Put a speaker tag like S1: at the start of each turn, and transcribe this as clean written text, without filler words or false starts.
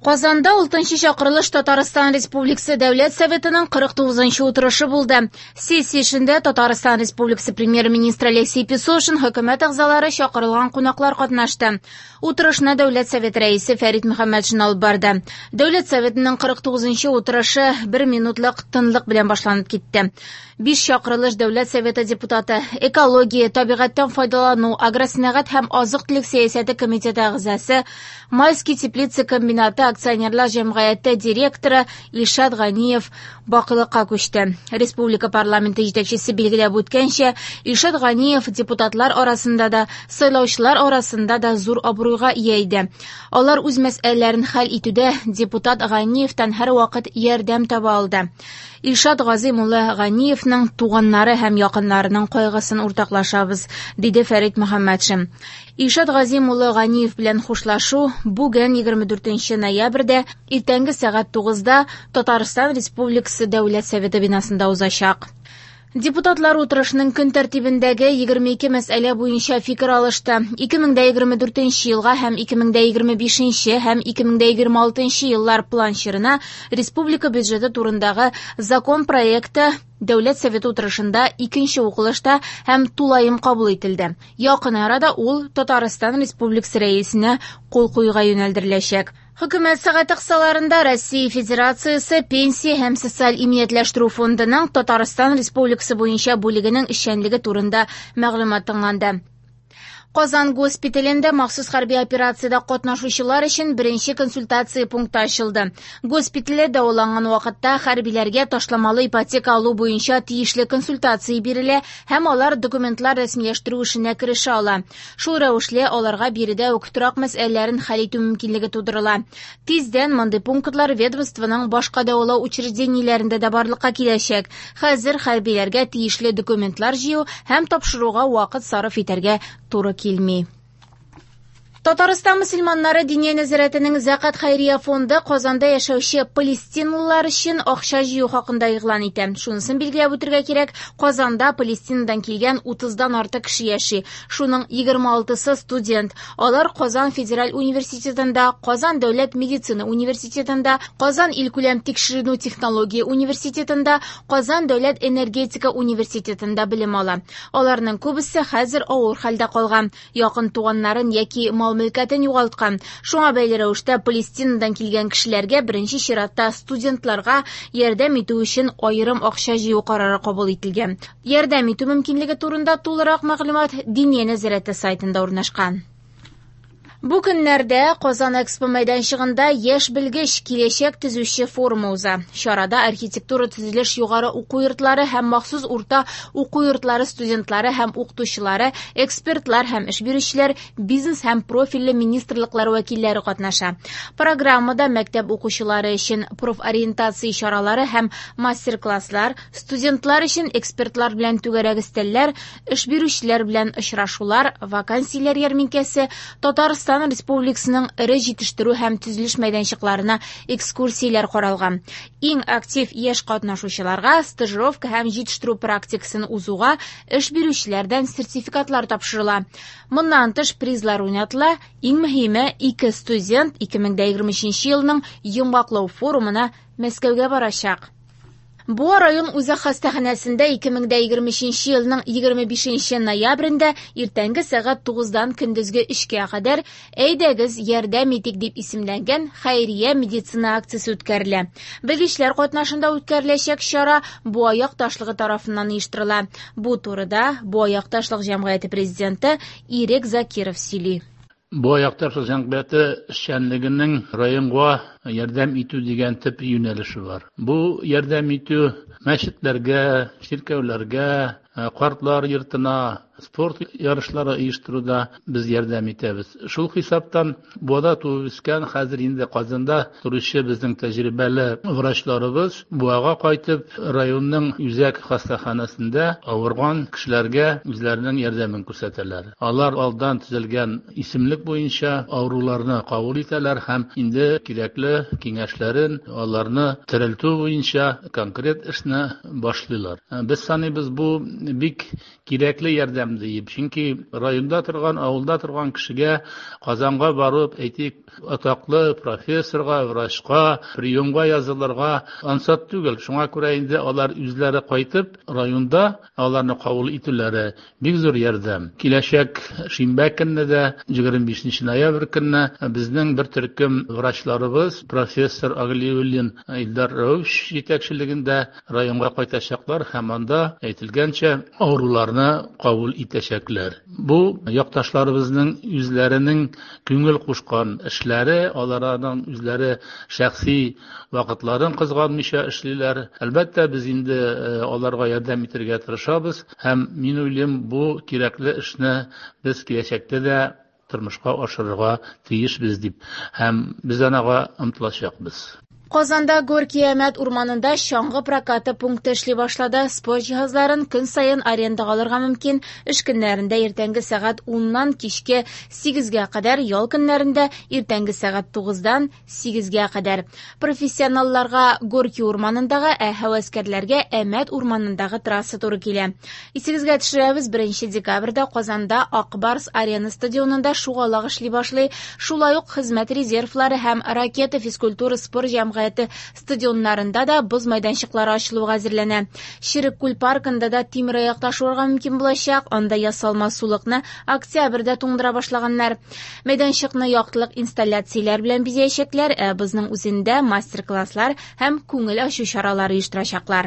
S1: Казанда 6нчы чакырылыш Татарстан Республикасы Дәүләт Советының 49нчы утырышы булды. Сессия эшендә Татарстан Республикасы премьер-министры Алексей Песошин, хөкүмәт әгъзалары, чакырылган кунаклар катнашты. Утырышны Дәүләт Советы рәисе Фәрит Мөхәммәтшин алып барды. Дәүләт Советының 49нчы утырышы бер минутлык тынлык белән башланып китте. Биш чакырылыш Дәүләт Советы депутаты, экология, табигатьтән файдалану, агросәнәгать һәм азык-төлек сәясәте комитеты әгъзасы, Майский теплица комбинаты акционерлар җәмгыяте директоры Илшат Ганиев бакыйлыкка күчте. Республика парламенты җитәкчесе билгеләп үткәнчә, Илшат Ганиев депутатлар арасында да, сайлаучылар арасында да зур абруйга ия иде. Алар үз мәсьәләләрен хәл итүдә депутат Ганиевтан һәрвакыт ярдәм таба алды. Илшат Газыйм улы Ганиевның туганнары һәм якыннарының кайгысын уртаклашабыз, диде Фәрит Мөхәммәтшин. Илшат Газыйм улы Ганиев белән хушлашу бүген 24 ноябрьдә иртәнге сәгать 9-да Татарстан Республикасы Дәүләт Советы бинасында узачак. Депутатлар утырышының көн тәртибендәге 22 мәсьәлә буенча фикер алышты. 2024 елга һәм 2025 һәм 2026 еллар план чорына республика бюджеты турындагы закон проекты Дәүләт Советы утырышында икенче укылышта һәм тулаем кабул ителде. Якын арада ул Татарстан Республикасы Рәисенә кул куюга юнәлдереләчәк. Хөкүмәт сәгате кысаларында Россия Федерациясе Пенсия һәм социаль иминиятләштерү фондының Татарстан Республикасы буенча бүлегенең эшчәнлеге турында мәгълүмат тыңланды. Казан госпиталендә махсус хәрби операциядә катнашучылар өчен беренче консультация пункты ачылды. Госпитальдә дәваланган вакытта хәрбиләргә ташламалы ипотека алу буенча тиешле консультация бирелә һәм алар документлар рәсмиләштерү эшенә керешә ала. Шул рәвешле аларга биредә үк торак мәсьәләләрен хәл итү мөмкинлеге тудырыла. Тиздән мондый пунктлар ведомствоның башка дәвалау учреждениеләрендә дә барлыкка киләчәк. Хәзер хәрбиләргә тиешле документлар җыю һәм тапшыруга вакыт сарыф итәргә туры килми. Татарстан мөселманнары Диния нәзарәтенең Зәкат хәйрия фонды Казанда яшәүче палестиналылар өчен акча җыю хакында игълан итә. Шунысын билгеләп үтергә кирәк, Казанда Палестинадан килгән 30-дан артык кеше яши. Шуның 26-сы студент. Алар Казан федераль университетында, Казан дәүләт медицина университетында, Казан илкүләм тикшеренү технология университетында, Казан дәүләт энергетика университетында белем ала. Аларның күбесе хәзер авыр хәлдә калган, якын туганнарын яки мал-мөлкәтен югалткан. Шуңа бәйле рәвештә Палестинадан килгән кешеләргә, беренче чиратта студентларга ярдәм итү өчен аерым акча җыю карары кабул ителгән. Ярдәм итү мөмкинлеге турында тулырак мәгълүмат Диния нәзарәте сайтында урнашкан. Бу көннәрдә Казан Экспо мәйданчыгында Яшь белгеч киләчәк төзүче форумы уза. Чарада архитектура төзелеш югары уку йортлары һәм махсус урта уку йортлары студентлары һәм укытучылары, экспертлар һәм эш бирүчеләр, бизнес һәм профильле министрлыклар вәкилләре катнаша. Программада мәктәп укучылары өчен профориентация чаралары һәм мастер-класслар, студентлар өчен экспертлар белән түгәрәк өстәлләр, эш бирүчеләр белән очрашулар, вакансияләр ярминкәсе, Татарстан Республикасының эре җитештерү һәм төзелеш мәйданчыкларына экскурсияләр каралган. Иң актив яшь катнашучыларга стажировка һәм җитештерү практикасын узуга эш бирүчеләрдән сертификатлар тапшырыла. Моннан тыш призлар уйнатыла. Иң мөһиме, ике студент 2023 елның йомгаклау форумына Мәскәүгә барачак. Буа район үзәк хастаханәсендә 2023 елның 25 ноябрендә иртәнге сәгать 9-дан көндезге 3-кә кадәр Әйдәгез, ярдәм итик дип исемләнгән хәйрия медицина акциясе үткәрелә. Белгечләр катнашында үткәреләчәк чара Буа якташлыгы тарафыннан оештырыла. Бу турыда Буа якташлык җәмгыяте президенты Ирек Закиров сөйли.
S2: Буа якташлык җәмгыяте эшчәнлегенең районга ярдәм итү дигән төп юнәлеше бар. Бу ярдәм итү мәчетләргә, чиркәүләргә, картлар йортына, спорт ярышлары оештыруда без ярдәм итәбез. Шул хисаптан Буада туып үскән, хәзер инде Казанда торучы безнең тәҗрибәле врачларыбыз Буага кайтып, районның үзәк хастаханәсендә авырган кешеләргә үзләренең ярдәмен күрсәтәләр. Алар алдан төзелгән исемлек буенча авыруларны кабул итәләр һәм инде кирәкле киңәшләрен аларны терелтү буенча конкрет эшне башлыйлар. Без саныйбыз, бу бик кирәкле ярдәм. ярдәм диеп. Чөнки районда торган, авылда торган кешегә Казанга барып, әйтик, атаклы профессорга, врачка, приемга язылырга ансат түгел. Шуңа күрә инде алар үзләре кайтып, районда аларны кабул итүләре бик зур ярдәм. Киләчәк шимбә көнне дә, 25 ноябрь көнне безнең бер төркем врачларыбыз, профессор Аглиуллин Илдар Рәүфович җитәкчелегендә районга кайтачаклар һәм анда, әйтелгәнчә, авыруларны кабул итәчәкләр. Бу якташларыбызның үзләренең күңел кушкан эшләре, алар аның үзләре шәхси вакытларын кызганмыйча эшлиләр. Әлбәттә, без инде аларга ярдәм итәргә тырышабыз һәм мин уйлыйм, бу кирәкле эшне без киләчәктә дә тормышка ашырырга тиешбез дип һәм без анага омтылачакбыз.
S1: Казанда Горки-Әмәт урманында чаңгы прокаты пункты эшли башлады. Спорт җиһазларын көн саен арендага алырга мөмкин. Эш көннәрендә иртәнге сәгать 10-нан кичке 8-гә кадәр, ял көннәрендә иртәнге сәгать 9-дан 8-гә кадәр. Профессионалларга Горки урманындагы, ә һәвәскәрләргә Әмәт урманындагы трасса туры килә. Исегезгә төшерәбез, 1 декабрьдә Казанда Ак Барс Арена стадионында шугалак эшли башлый. Шулай ук хезмәт резервлары һәм Ракета физкультура спорт җәмгыяте стадионнарында да боз мәйданчыклары ачылуга әзерләнә. Черек күл паркында да тимераякта шуарга мөмкин булачак. Анда ясалма сулыкны октябрьдә туңдыра башлаганнар. Мәйданчыкны яктылык инсталляцияләр белән бизәячәкләр, ә бозның үзендә мастер-класслар һәм күңел ачу чаралары оештырачаклар.